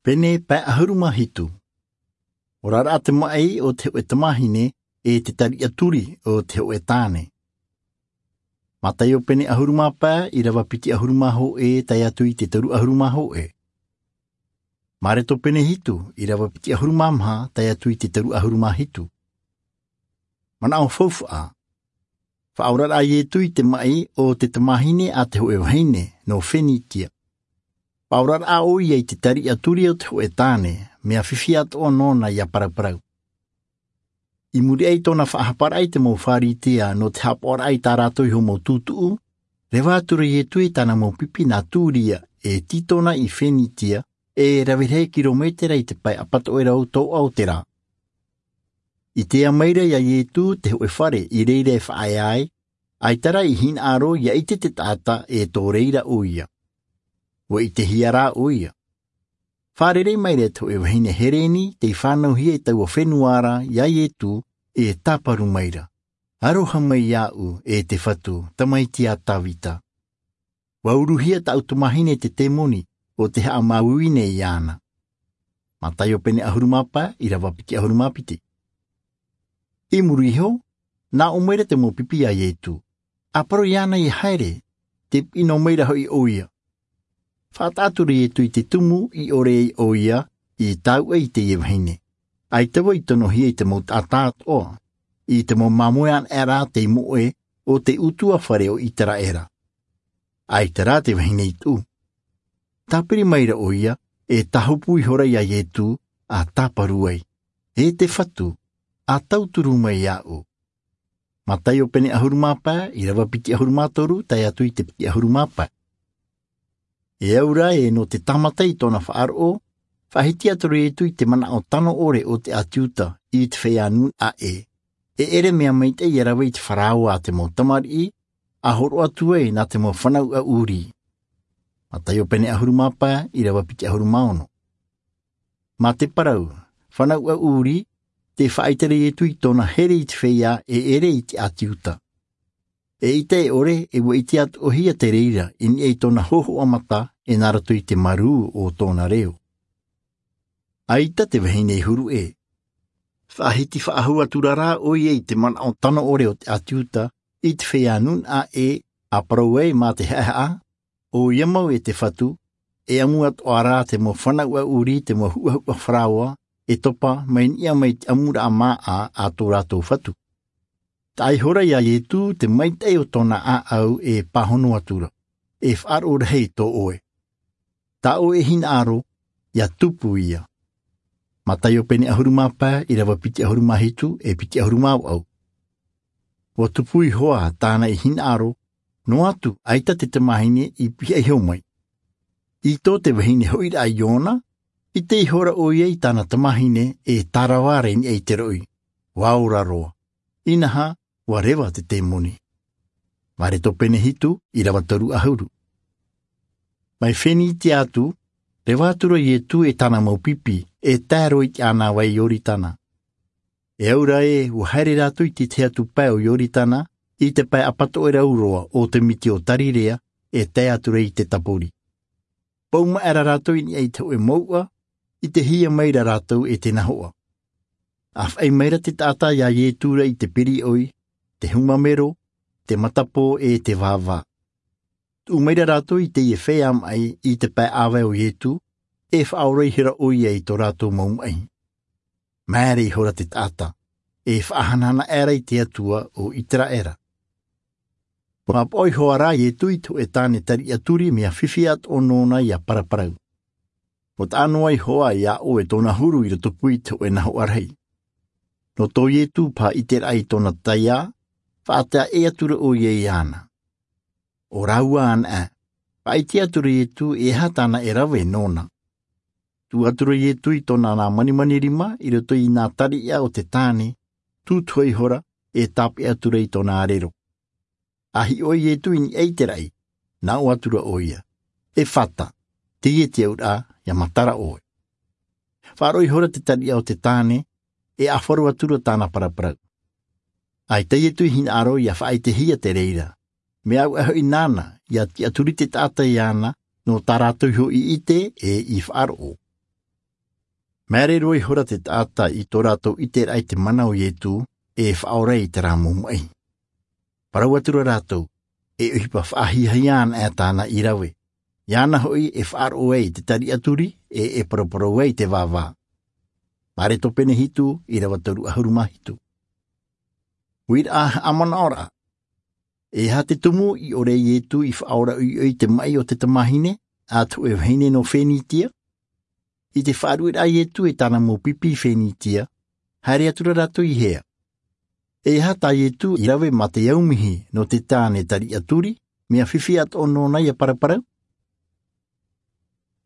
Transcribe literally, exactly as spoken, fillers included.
Pene pae ʻahuru mā hitu. Oraraʻa te maʻi o te hōʻē tamāhine e te tariʻa turi o te hōʻē tāne. Mataio pene ʻahuru mā pae, ʻīrava piti ʻahuru mā hōʻē, tae atu i te toru ʻahuru mā hōʻē. Mareto pene hitu, ʻīrava piti ʻahuru mā maha, tae atu i te toru ʻahuru mā hitu. Manaʻo faufaʻa. Faʻaoraraʻa a Ietu i te maʻi o te tamāhine a te hōʻē vahine nō Fenitia. Faʻaoraraʻa ʻoia i te tariʻa turi o te hōʻē tāne, mea fifi atoʻa nōna ʻia paraparau. I muri aʻe i tōna faʻahaparaʻa i te mau Pharisea nō te haʻapaʻoraʻa i tā rātou iho mau tūtuʻu, reva atura Ietu i tāna mau pipi nā Turia, e Titona i Fenitia, e rave rahi kirometera i te pae apatoʻerau tōʻa o te rā. I ʻite maira ia Ietu te hōʻē fare i reira e faʻaea ai, ʻaita rā i hinaʻaro ʻia ʻite te taʻata e tō reira ʻoia. ʻUa ʻitehia rā ʻoia. Fārerei maira te hōʻē vahine Hereni tei fānauhia i taua fenua ra ia Ietu, e tāparu maira: Aroha mai iāʻu, e te Fatu, Tamaiti a Tavita. ʻUa uruhia tāʻu tamāhine e te temoni, ʻo tē haʻamāuiui nei iāna. Mataio pene ʻahuru mā pae, ʻīrava piti ʻahuru mā piti. I muri iho, nā ʻō maira te mau pipi ia Ietu: ʻA parau iāna ʻia haere, tē piʻi noa maira hoʻi ʻoia. Faʻataʻa atura Ietu i te tumu i ʻore ai ʻoia i taui i teie vahine. ʻAita vau i tonohia i te mau taʻata atoʻa, i te mau māmoe anaʻe ra tei moʻe o te ʻutuāfare o Iteraera. ʻAita rā te vahine i tuʻu. Tāpiri maira ʻoia, e tāhopu ihora ia Ietu, ʻa tāparu ai: E te Fatu, ʻa tauturu mai iāʻu. Mataio pene ʻahuru mā pae, ʻīrava piti ʻahuru mā toru, tae atu i te piti ʻahuru mā pae. E au rā ē, nō te tāmata i tōna faʻaroʻo, faʻahiti atura Ietu i te manaʻo tano ʻore o te ʻĀti Iuta i te feiā nūnaʻa ʻē. E ʻere mea maitaʻi ʻia rave i te faraoa a te mau tamariʻi, ʻa hōroʻa atu ai nā te mau fanauʻa ʻūrī. Mataio pene ʻahuru mā pae, ʻīrava piti ʻahuru mā ono. Mā te parau fanauʻa ʻūrī, tē faʻaʻite ra Ietu i tōna here i te feiā e ʻere i te ʻĀti Iuta. Eʻita e ʻore, e ʻua ʻite atoʻahia te reira i niʻa i tōna hōhoʻa mata e nā roto i te marū o tōna reo. ʻAita te vahine i huru ʻē. Faʻahiti faʻahou atura rā ʻoia i te manaʻo tano ʻore o te ʻĀti Iuta i te feiā nūnaʻa ʻē, ʻa parau ai mā te haʻehaʻa: ʻOia mau, e te Fatu, e ʻamu atoʻa rā te mau fanauʻa ʻūrī, te mau huʻahuʻa faraoa, e topa mai niʻa mai te ʻamuraʻa māʻa a tō rātou Fatu. Taʻa ihora ia Ietu te maitaʻi o tōna ʻāʻau e pāhono atura: E faʻaroʻo rahi tō ʻoe. Tā ʻoe e hinaʻaro, ʻia tupu ia. Mataio pene ʻahuru mā pae, ʻīrava piti ʻahuru mā hitu e piti ʻahuru mā vaʻu. ʻUa tupu iho ā tāna i hinaʻaro, noa atu ʻaita te tamāhine i pihaʻi iho mai. I tō te vahine hoʻiraʻa iōna, ʻite ihora ʻoia i tāna tamāhine e tārava ra i niʻa i te roʻi, ʻua ora roa. Inaha, ʻua reva te temoni. Mareto pene hitu, ʻīrava toru ʻahuru. Mai Fenitia atu, reva atura Ietu e tāna mau pipi e tae roa i te ʻānāvai Ioritana. E au rā ē, ʻua haere rātou i te tahi atu pae o Ioritana, i te pae apatoʻerau roa o te miti o Tarirea, e tae atura i te tāpori. Pau maʻera rātou i niʻa i te hōʻē mouʻa, ʻitehia maira rātou e te nahoʻa. ʻA faʻi maira te taʻata ia Ietu ra i te piriʻoi, te humamero, te matapō e te vāvā. Tuʻu maira rātou i teie feiā maʻi i te pae ʻāvae o Ietu, e faʻaora ihora ʻoia i tō rātou mau maʻi. Māere ihora te taʻata, e faʻahanahana aʻera i te Atua o Iteraera. ʻUa pāpaʻo iho ā rā Ietu i te hōʻē tāne tariʻa turi, mea fifi atoʻa nōna ʻia paraparau. ʻUa taʻa noa iho ā ia ʻoe tōna huru i rotopū i te hōʻē nahoʻa rahi. Nō tō Ietu paha ʻiteraʻa i tōna taiā, faʻataʻa ʻē atura ʻoia iāna. ʻO rāua anaʻe, faʻaʻite atura Ietu e aha tāna e rave nōna. Tuʻu atura Ietu i tōna nā manimani rima i roto i nā tariʻa o te tāne, tūtuha ihora, e tāpeʻa atura i tōna ʻarero. ʻA hiʻo ai Ietu i niʻa i te raʻi, nā ʻō atura ʻoia: Efata, teie te auraʻa, ʻia matara ʻoe. Faʻaroʻo ihora te tariʻa o te tāne, e ʻāfaro atura tāna paraparau. ʻAita Ietu i hinaʻaro ʻia faʻaʻitehia te reira, mea au aʻe hoʻi nāna ʻia tiʻaturi te taʻata iāna, nō tā rātou iho i ʻite e i faʻaroʻo. Māere roa ihora te taʻata i tō rātou ʻiteraʻa i te mana o Ietu e faʻaora i te rā mau maʻi. Parau atu ra rātou, e ʻohipa faʻahiahia ana ʻā tāna i rave, iāna hoʻi e faʻaroʻo ai i te tariʻa turi e e paraparau ai i te vāvā. Mareko pene hitu, irava toru ʻahuru mā hitu. Uiraʻa haʻamanaʻoraʻa. E aha te tumu i ʻore ai Ietu i faʻaora ʻoiʻoi i te maʻi o te tamahine a te hoʻe vahine nō Fenitia? I te faʻarueraʻa a Ietu e tāna mau pipi i Fenitia, haere atu ra rātou i hea? E aha tā Ietu i rave mā te aumihi nō te tāne tariʻa turi, mea fifi atoʻa nōna ia paraparau?